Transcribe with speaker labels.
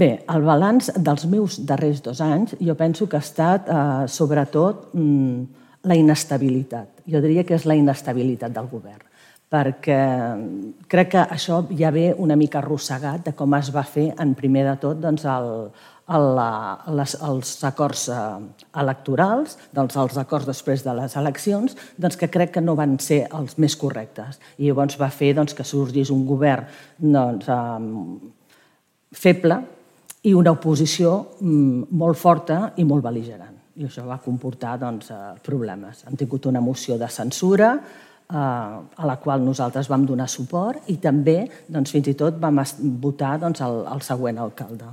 Speaker 1: Bé, el balanç dels meus darrers 2 anys jo penso que ha estat sobretot la inestabilitat. Jo diria que és la inestabilitat del govern, perquè crec que això ja ve una mica arrossegat de com es va fer en primer de tot els acords electorals, els acords després de les eleccions, que crec que no van ser els més correctes. I llavors va fer que sorgís un govern feble i una oposició molt forta i molt bel·ligerant. I això va comportar problemes. Hem tingut una moció de censura a la qual nosaltres vam donar suport i també fins i tot vam votar el següent alcalde.